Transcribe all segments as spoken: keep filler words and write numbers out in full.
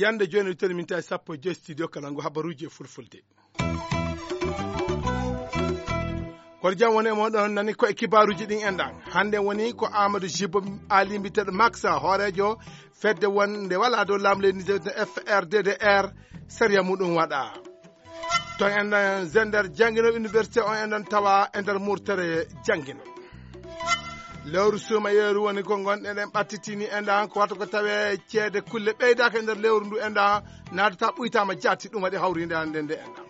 Yande jooni toni minti sappo e joy studio kala ngu habaruuji e fulfulde. Kono jam woni e moɗon nani ko e kibaaruuji ɗin enɗan. Hannde woni ko Amadou Jibo Ali mbiteɗo Max, hooreejo fedde wonde wala dow laamu leydi Niger, F R D D R, sariya muɗum waɗa. To enɗan zender jangino université on enɗan tawa e nder murtere jangino. Lewru suuma yeeru woni ko ngonɗen en ɓattitini enɗan ko wata ko tawe ceede kulle ɓeydaaka e nder lewru ndu enɗan naatata ɓuytama jaati ɗum waɗi hawrinde hannde nde enɗan.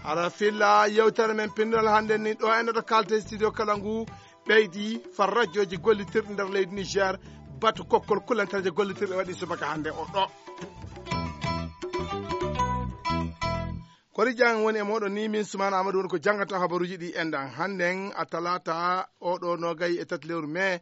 Hara filla yewtere men pinndol hannde ni ɗo enɗan to kalte studio kala ngu ɓeydi far rajooji gollitirɗi nder leydi Niger, batu kokkol kulantareje gollitirɗe waɗi subaka hannde o ɗo. Kori jang woni e moɗon ni min Sumaana Amadou woni ko janngata habaruuji ɗi enɗan. Hannden a talaata oɗo nogay e tati lewru mai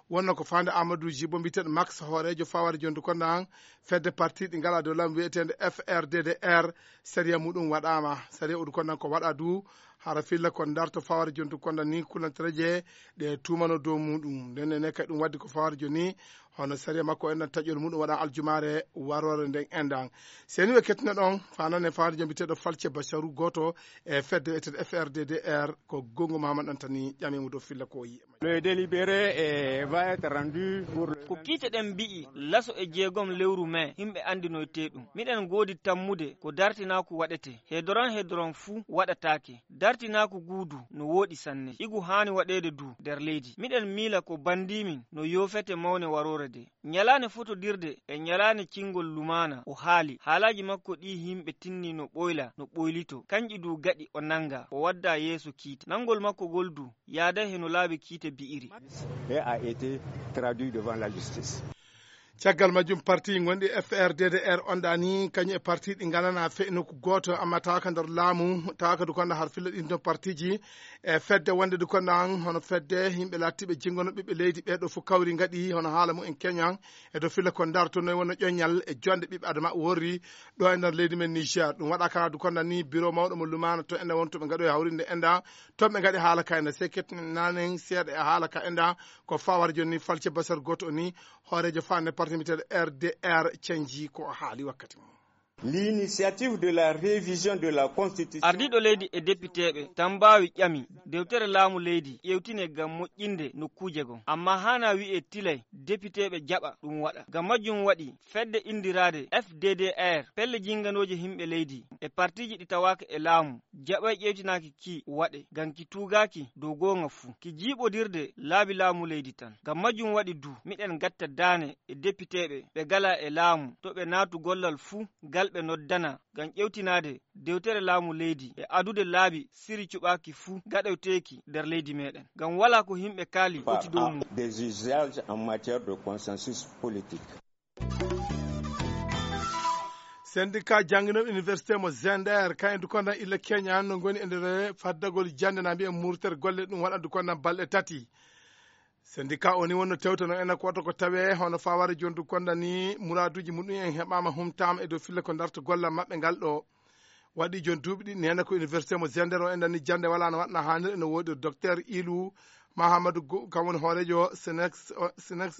wonno ko faande Amadou Jibo mbiteɗo Max hooreejo faware jondu konda han fedde parti ɗi ngala dow laamu wiyeteende F R D D R. Sariya muɗum waɗaama. Sariya udu konda ko waɗa du hara filla ko darto faware jondu konda ni kulantareje ɗe tumano dow muɗum. Nden ne kadi ɗum waddi ko faware joni hono sariya makko enɗan taƴol muɗum waɗa aljumaare warore nden enɗan. Seni ɓe kettuno ɗon fanane faware jom biteɗo Falce Basaru goto e fedde wiyeteende F R D D R ko gongo Mahamad Antani ƴamimo dow filla ko yi'e. Le délibéré eh, va être rendu pour le... Ko kiite ɗen mbi'i laso e jeegom lewru mai himɓe andinoyte ɗum. Miɗen goodi tammude ko dartinaaku waɗete. Hedoron hedoron fuu waɗataake. Dartinaaku guu du no wooɗi sanne. Igu haani waɗeede du nder leydi. Miɗen miila ko bandiimin no yoofete mawne waroore de. Ñalaande fotodirde e ñalaande cingol lumaana o haali. Haalaaji makko ɗii himɓe tinni no ɓoyla, no ɓoylito. Kanƴi du gaɗi o nannga, o wadda yeeso kiite. Nanngol makko ngol du yaaday he no laabi kiite bi'iri. Et a été traduit devant la justice. Caggal majjum parti gonɗi F R D D R on ɗani kañum e parti ɗi nganana fe nokku gooto amma tawa ka nder laamu tawa ka dukonda har filla ɗin ɗon partiji e fedde wonde dukonda an hono fedde yimɓe lattiɓe jingono ɓiɓɓe leydi ɓeɗo fof kawri gaɗi hono haala mumen keñan e dow filla ko dartonoy wonno ƴoñal e jonde ɓiɓɓe adama worri ɗo e nder leydi men Niger. Ɗum waɗa kala dukonda ni bureau mawɗo mo lumana to enda wontoɓe gaɗo e hawrinde enda toon ɓe gaɗi haala ka enda seket nanen seeɗa e haala ka enda ko fawar joni falce basar goto o ni hooreejo faande parti mbiteɗo R D R canji ko o haali wakkati mum. L'initiative de la révision de la constitution. Ardiiɗo leydi e depiteeɓe tan mbaawi ƴami dewtere laamu leydi ƴeewtine ngam moƴƴinde nokkuuje goo. Ammaa haanaa wi'ee tilay depiteeɓe jaɓa ɗum waɗa. Ngam majjum waɗi fedde inndiraade F D D R pelle jinnganooje yimɓe leydi e partiiji ɗi tawaaka e laamu jaɓay ƴeewtinaaki ki waɗe ngam ki tuugaaki dow goonga fuu ki jiiɓodirde laabi laamu leydi tan. Ngam majjum waɗi du miɗen ngatta daane e depiteeɓe ɓe ngalaa e laamu to ɓe naatu gollal fuu ngal ɓe noddana ngam ƴeewtinaade dewtere laamu leydi e adude laabi siri cuɓaaki fuu gaɗoyteeki nder leydi meeɗen ngam walaa ko yimɓe kaali foti dow mum. Des usages en matière de consensus politique. Syndicat jannginooɓe université mo Zender kayen dukondan illa keñan no ngoni e nder faddagol jannde na mbiyen murtere golle ɗum waɗa dukondan balɗe tati. Syndicat o ni wonno tewtano ena ko waɗa ko tawe hono faware jondu konda ni muraduji muɗum en heɓama humtama e dow filla ko darto gollal maɓɓe ngal ɗo. Waɗi jon duuɓi ɗiɗi nena ko université mo Zender o endani jannde wala no waɗna hanir ene woodi docteur Ilu Mahamadou Gou kam woni hoorejo Sinex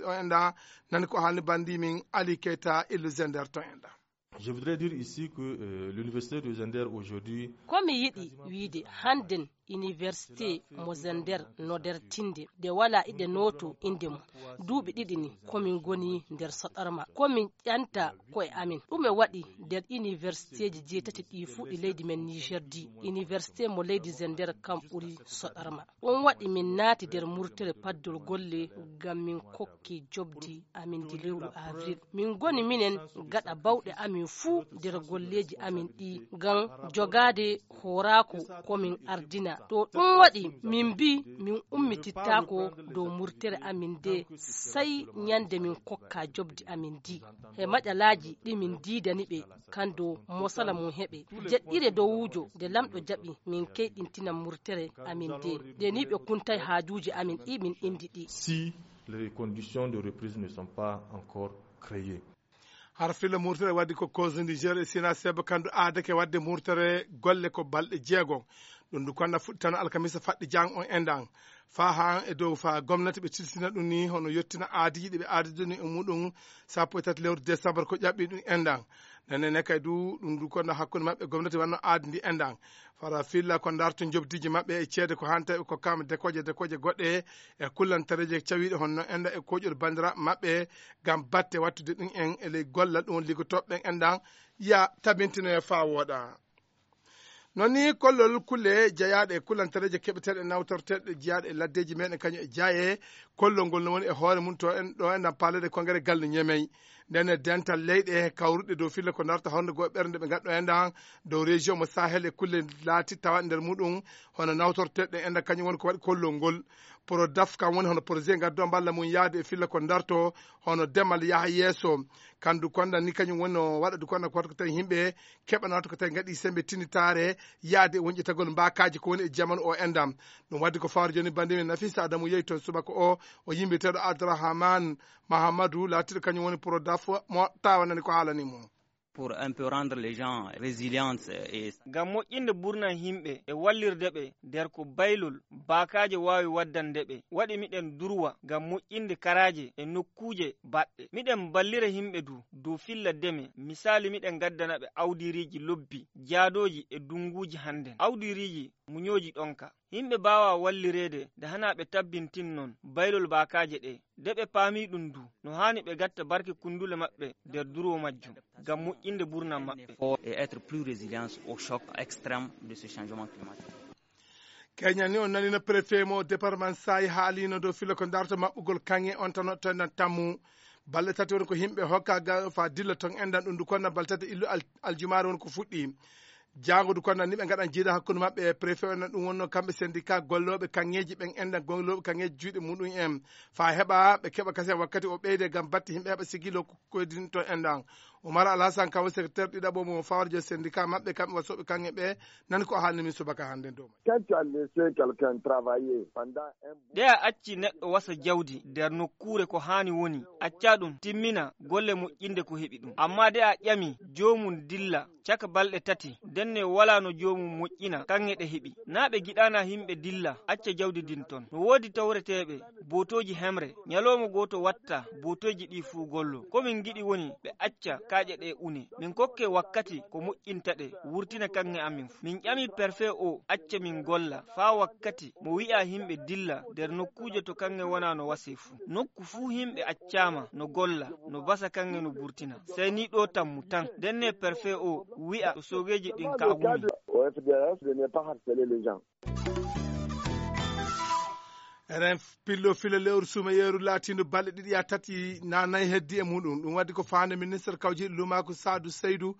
o enda nani ko haalni bandi min Ali Keita Ilu Zender to enda. Je voudrais dire ici que euh, l'université de Zender aujourd'hui. Ko mi yiɗi wiide hannden université mo Zender no nder tinde nde wala iɗe nooto innde mum. Duuɓi ɗiɗi ni komin ngoni nder soɗarma komin ƴanta koye amin. Ɗume waɗi nder universitéji jeetati ɗi fuu ɗi leydi men Niger di université mo leydi Zender kam ɓuri soɗarma. Ɗum waɗi min naati nder murtere paddol golle ngam min kokki jobdi amin ndi lewru avril. Min ngoni minen gaɗa bawɗe amin fuu nder golleeji amin ɗi ngam jogaade hooraaku ko min ardina. To ɗum waɗi min mbi min ummitittaako dow murtere amin nde sey ñande min kokka jobdi amin ndi. He maƴalaaji ɗi min ndiidani ɓe kan dow mosala mum heɓe jeɗɗire dowuujo nde lamɗo jaɓi min keyɗintina murtere amin nde nde ni ɓe kuntay haajuuji amin ɗi min indi ɗi. Si les conditions de reprise ne sont pas encore créées. Hara filla murtere waddi ko koso niger e sina seba kandu aadake wadde murtere golle ko balɗe jeego. Ɗum du konna fuɗɗitano alkamisa faɗɗi jang on endan. Fa han e dow fa gomnati ɓe tilsina ɗum ni hono yettina aadiji ɗi ɓe aadidoni e muɗum. Sappo e tati lewru décembre ko ƴaɓɓi ɗum endan. Nane ne kay du ɗum du konna hakkunde maɓɓe gomnati wanno aadi ndi endan. Fara filla ko darto jobdiji maɓɓe e ceede ko hanta ɓe kokkama dekoje dekoje goɗɗe e kullantareje cawiɗe honno enda e koƴol bandiraɓe maɓɓe. Ngam batte wattude ɗum en e ley gollal ɗum liggotoɓe ɓen endan ya tabintinoye fa wooɗa. Non ni kollol kulle jeyaaɗe e kullantareeje keɓeteeɗe nawtorteeɗe jeyaaɗe e laddeeji meɗen kañum e jaaye. Kollol ngol no woni e hoore mum to en ɗo enɗan paalede konngere galɗo ñemey. Nden e dental leyɗe kawruɗe dow filla ko darta honde goo ɓernde ɓe ngadɗo enɗan dow région mo sahel e kulle laati tawa nder muɗum hono nawtorteeɗe enɗan kañum woni ko waɗi kollol ngol. Prodaf kam woni hono projet ngaddo mballa mum yaade e filla ko darto hono demal yaha yeeso. Kandu konda ni kañum woni no waɗa du konda ko tawi yimɓe keɓanata ko tawi ngaɗi sembe tinitaare yaade e wonƴitagol mbakaji ko woni e jamanu o endam. Ɗum waddi ko fawre joni bande min nafisa adamu yehi toon subaka o o yimɓeteɗo abdourahman mahamadou laatiɗo kañum woni prodaf mo tawanani ko haalani mo. Pour un peu rendre les gens résilience et ngam moƴƴinde burna yimɓe e wallirde ɓe nder ko baylol baakaaje waawi waddande ɓe waɗi miɗen durwa ngam moƴƴinde karaaje e nokkuuje baɗɗe miɗen mballira yimɓe du dow filla deme misaali miɗen ngaddana ɓe awdiriiji lobbi jaadooji e dunnguuji hannden awdiriiji muñooji ɗonka. Yimɓe mbaawaa wallireede nde hanaa ɓe tabbintin noon baylol baakaaje ɗee. Nde ɓe paamii ɗum du, no haani ɓe ngatta barke kunndule maɓɓe nder durwo majjum ngam moƴƴinde buurnam maɓɓe. Fort et être plus résilience au choc extrême de ce changement climatique. Keñal ni on nanino préfet mo département sayi haalino dow filo ko darto maɓɓugol kaŋŋe on tan o tendan tammu. Balɗe tati woni ko yimɓe hokka ga fa dilla ton endan ɗum du konna balɗe tati illu al- aljumaare woni ko fuɗɗi. Jaango du konna ni ɓe ngaɗan jiida hakkunde maɓɓe e préfet on ɗum wonno kamɓe syndicat gollooɓe kaŋŋeeji ɓen endan gollooɓe kaŋŋeeji juuɗe muɗum en fa heɓa ɓe keɓa kasen wakkati o ɓeyde ngam batte yimɓe heɓa sigilo koydinto endan. Umar alhasan kawo secrétaire ɗiɗaɓo mo fawarjo syndicat maɓɓe kamɓe wasooɓe kaŋŋe ɓe nani ko haalni min subaka hannde dow. Quand tu as laissé quelqu'un travailler pendant un ɗe a acci neɗɗo wasa jawdi nder nokkuure ko haani woni acca ɗum timmina golle moƴƴinde ko heɓi ɗum amma de a ƴami joomum dilla caka balɗe tati ndenne walaa no joomum moƴƴina kaŋŋe ɗe heɓi. Naa ɓe ngiɗaana yimɓe dilla acca jawdi ndin ton no woodi tawreteeɓe bootooji hemre ñalooma gooto watta bootooji ɗi fuu gollo ko min ngiɗi woni ɓe acca kaaƴe ɗe une min kokke wakkati ko moƴƴinta ɗe wurtina kaŋŋe amin fuu min ƴami perfe o acca min golla faa wakkati mo wi'a yimɓe dilla nder nokkuuje to kaŋŋe wona no wase fuu nokku fuu yimɓe accaama no golla no basa kaŋŋe no burtina sey ni ɗo tammu tan ndenne perfe o wi'a to soogeeji ɗin ka wumi. Au F D S de ne pas harceler les gens. Eren pillo fila lewru suuma yeeru laatiindu balɗe ɗiɗi yaa tati na nayi heddi e muɗum ɗum waddi ko faande ministre kawjiiɗo luumaaku saadu seydu.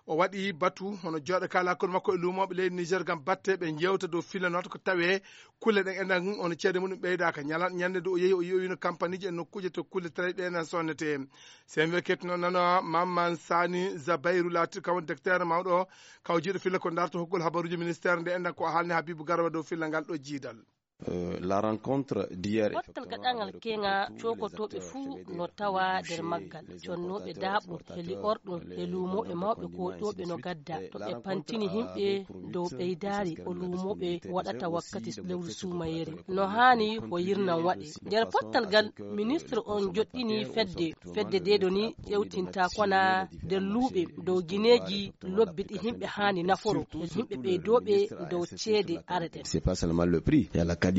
O waɗi batu hono jooɗo kala hakkunde makko e luumooɓe leydi niger ngam batte ɓe njewta dow fila noota ko tawe kulle ɗen enɗan ono ceede muɗum ɓeydaaka ñalanɗo ñande nde o yehi o yi'oyino kampaniji e nokkuuje to kulle tawi ɗe enen sonnete. Sen wi ketno nano mamman sani zabayru laatiɗo kam woni docteur mawɗo kawjiiɗo filla ko darto hokkugol habaruji ministére nde enɗan ko o haalni habibu garba dow filla ngal ɗo jiidal. La rencontre d'hier pottal gaɗangal keŋa cokotooɓe fuu no tawa nder maggal connooɓe daaɓum heli orɗum e luumooɓe mawɓe kootooɓe no gadda to ɓe pantini yimɓe dow ɓeydaari o luumooɓe waɗata wakkati lewru suumayeere no haani ko yirnan waɗe. Nder pottal ngal ministre on joɗɗini fedde fedde nde ɗo ni ƴewtinta kona nder luuɓe dow gineeji lobbi ɗi yimɓe haani naforo e yimɓe ɓeydooɓe dow ceede areten. C'est pas seulement le prix, il y a la qualité.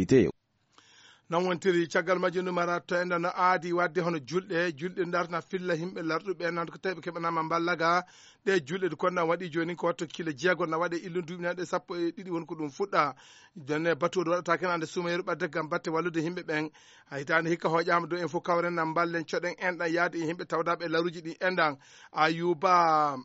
Non wontiri caggal majjum ɗum ara to enɗan no aadi wadde hono julɗe julɗe dartana filla yimɓe larɗuɓe nan ko tawi ɓe keɓanama mballaga. Ɗe julɗe ɗe konɗan waɗi joni ko watto kilo jeego na waɗe illu duuɓinaɗe sappo e ɗiɗi woni ko ɗum fuɗɗa. Jonne batuɗo waɗata ken ande suumayeru ɓadde gam batte wallude yimɓe ɓen. Haytande hikka hoƴama dow en fof kawren na mballen coɗen enɗan yaade e yimɓe tawdaɓe e laruji ɗi enɗan. Ayuba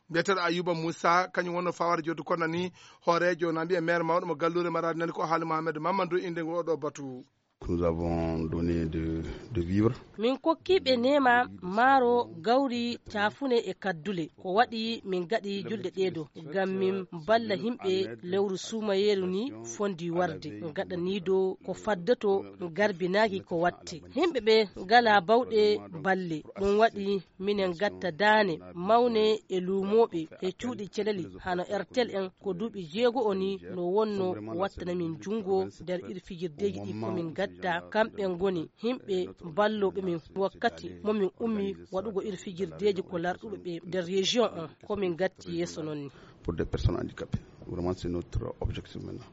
mbiyeteeɗo ayuba moussa kañum wonno faware joddu kono ni hoorejo na mbiya maire mawɗo mo galluure marade nani ko haali mohamed mamadou inde ngo oɗo batu. Nous avons donné de, de vivres. Min kokkiiɓe neema, maaro, gawri, caafune e kaddule. Ko waɗi min gaɗi julɗe ɗee ɗoo, ngam min balla yimɓe lewru suumayeeru ni fondi warde. Gaɗaniiɗo ko faddoto garbinaaki ko watte. Yimɓe ɓe ngalaa bawɗe balle. Ɗum waɗi minen gatta daane mawne e luumooɓe e cuuɗi celali, hano Airtel en, ko duuɓi jeego o ni no wonno wattana min junngo nder iri fijirdeeji ɗi ko min gatta. Kamɓe ngoni yimɓe ballooɓe min wakkati mo min ummi waɗugo iri fijirdeeji ko larɗuɓe ɓe nder région on, ko min gatti yeeso non ni. Pour des personnes handicapées. Vraiment, c'est notre objectif maintenant.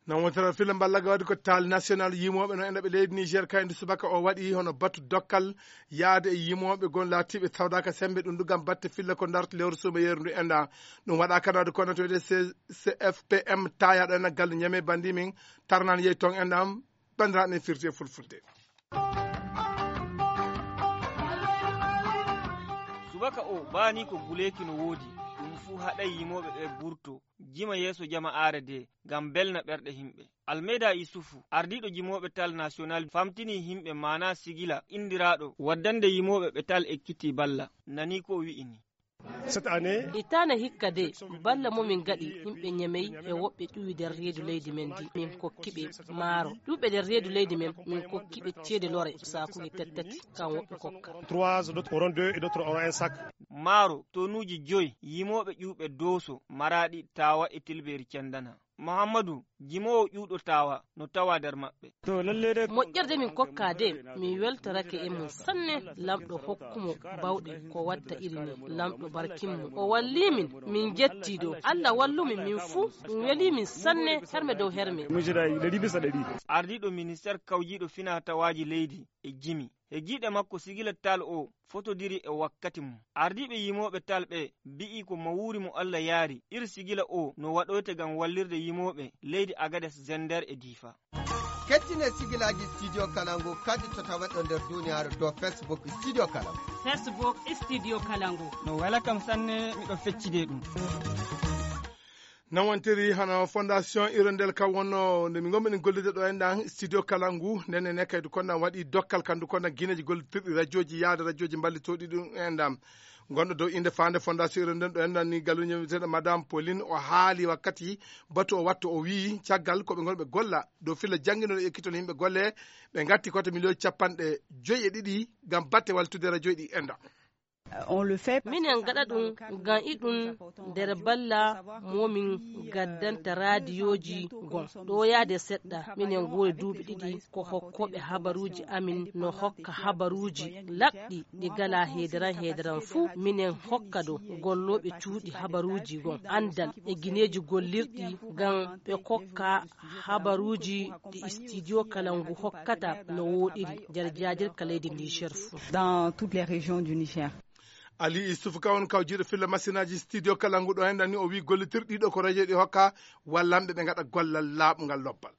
Nan wontere filla mballa ga waɗi ko taal national yimooɓe no enda ɓe leydi Niger kayndi subaka o waɗi hono batu dokkal yaade e yimooɓe gon laatiiɓe tawdaaka sembe ɗum ɗugam batte filla ko darta lewru suumayeeru ndu enda. Ɗum waɗa kadi waɗi kono to wi'ete C F P M tayaɗo ena galle Ñame bandi min tarnaan yehi toon enda. Banndiraaɓe men firti e fulfulde. Subaka o baani ko guleeki no woodi. Ɗum fuu haɗay yimooɓe ɓe burto jima yeeso jama'aare de ngam belna ɓerɗe yimɓe. Almeyda Isufu, ardiiɗo jimooɓe tal national, famtini yimɓe maanaa sigila inndiraaɗo waddande yimooɓe ɓe tal ekkitii balla. Nani ko o wi'i ni. Hitaande hikka de, balla mo min gaɗi yimɓe Ñamey e woɓɓe ƴuwi nder reedu leydi men ndi, min kokki ɓe maaro. Ƴuɓɓe nder reedu leydi men, min kokki ɓe ceede lore saakuuji tati tati, kan woɓɓe kokka. Maaro tonuuji joy yimooɓe ƴuuɓe Dooso, Maraaɗi, Taawa e Tilbeeri Cendana. Muhammadu, jimoowo ƴuuɗo Taawa, no tawaa nder maɓɓe. Moƴƴerde min kokkaa de, min weltorake e mum sanne, Laamɗo hokku mo baawɗe ko watta iri nii, Laamɗo barkin mo. O wallii min, min njettii ɗo. Alla wallu min, min fuu, ɗum welii min sanne, herme dow herme. Ardiiɗo ministeer kawjiiɗo finaa-tawaaji leydi e jimi. E giiɗe makko sigila tal o fotodiri e wakkati mum. Ardiiɓe yimooɓe tal ɓe mbi'i ko mawuuri mo Alla yaari, ir sigila o no waɗoyte ngam wallirde yimooɓe leydi Agades, Zender e Diifa. Kettine sigilaaji Studio Kalangu kadi to taweɗo nder duniyaaru dow Facebook Studio Kalangu. Facebook Studio Kalangu. No wela kam sanne, miɗo feccide ɗum. Nawantiri hano fondation irondel kam wonno nde min gomɓe ɗin gollude ɗo en ɗan studio kalangu nden e nekkaydu konɗan waɗi dokkal kandu konɗan guineji gollitirɗi radioji yaade radioji mballitoɗi ɗum en ɗan gonɗo dow inde fande fondation irondel ɗo en ɗan ni galluño wiyeteɗo madame Pauline o haali wakkati batu o wattu o wii caggal koɓe gonɓe golla dow filla janginoɗo ekkitol yimɓe golle ɓe gatti koto million capanɗe joyi e ɗiɗi ngam batte waltude radioji ɗi en ɗan. Minen ngaɗa ɗum ngam iɗum nder balla momin gaddanta raadiyooji gon ɗo yaade seɗɗa minen ngoori duuɓi ɗiɗi ko hokkooɓe habaruuji amin no hokka habaruuji laɓɗi ɗi gala heedaran heedaran fuu minen hokka ɗo gollooɓe cuuɗi habaruuji gon anndal e gineeji gollirɗi ngam ɓe kokka habaruuji ɗi studio kala ngu hokkata no wooɗiri nder jaajirka leydi Niger fuu. Dans toutes les régions du Niger. Ali Issouf ka won kawjiiɗo filla masinaaji studio kala ngu ɗo en ɗanni o wii gollitirɗi ɗiɗo ko radio ɗi hokka wallanɓe ɓe ngaɗa gollal laaɓungal lobbal.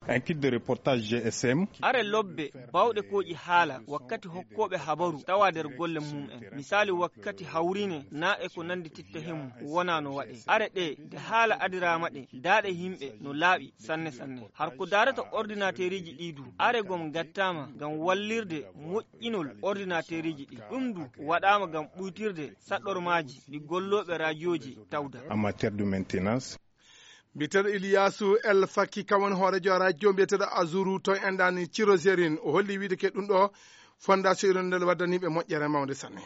Un kit de reportage G S M. Are lobbe bawɗe kooƴi haala wakkati hokkooɓe habaru tawa nder golle mum en. Misaali wakkati hawrine na e ko nanndi titta hemu wona no waɗe. Are ɗe nde haala adiraama ɗe daaɗe yimɓe no laaɓi sanne sanne. Har ko daarata ordinateeriji ɗi du are gom gattaama ngam wallirde moƴƴinol ordinateeriji ɗi. Ɗum du waɗaama ngam ɓuytirde saɗɗormaaji ɗi gollooɓe raajooji tawda. En matière de maintenance. Mbiyeteeɗo Iliyaasu El Fakki kam woni hooreejo rajo mbiyeteeɗo Azuru to enɗani Cirozerin o holli wiide ke ɗum ɗo fondation irondel waddaniiɓe moƴƴere mawnde sanne.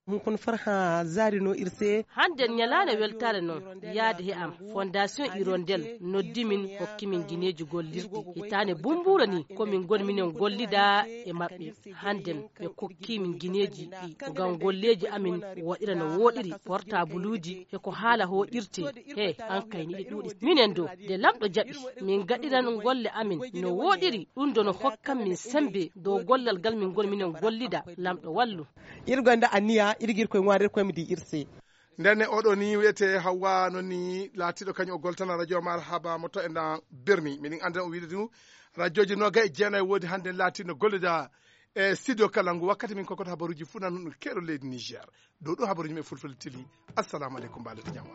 Hun kono farha zaari no irse. Hannden ñalaande weltaare noon yaade he am fondation irondel noddi min hokki min gineeji gollirɗi hitaande bumbuura ni ko min ngoni minen gollida e maɓɓe. Hannden ɓe kokki min gineeji ɗi ngam golleeji amin waɗira no wooɗiri portabuluuji e ko haala hooƴirtee. He an kay ni ɗi ɗuuɗi minen do nde lamɗo jaɓi min gaɗiran golle amin no wooɗiri ɗum do no hokkan min sembe dow gollal ngal min ngoni minen gollida. Lamɗo wallu. Irgonda anniya irgir koye ŋwarir koye mi di irse. Ndenne oɗo ni wiyete Hawwa noon ni laatiɗo kañum o goltana radio Marhaba mo to e nda Bermi. Miɗen anndana o wiide du radioji noga e jeenayi woodi hannde laatiɗo gollida e studio kala ngu wakkati min kokoto habaruji fuu nan ɗum keɗo leydi Niger. Ɗo ɗo habaruji men fulfulde tili. Assalamu aleykum mbalete jam.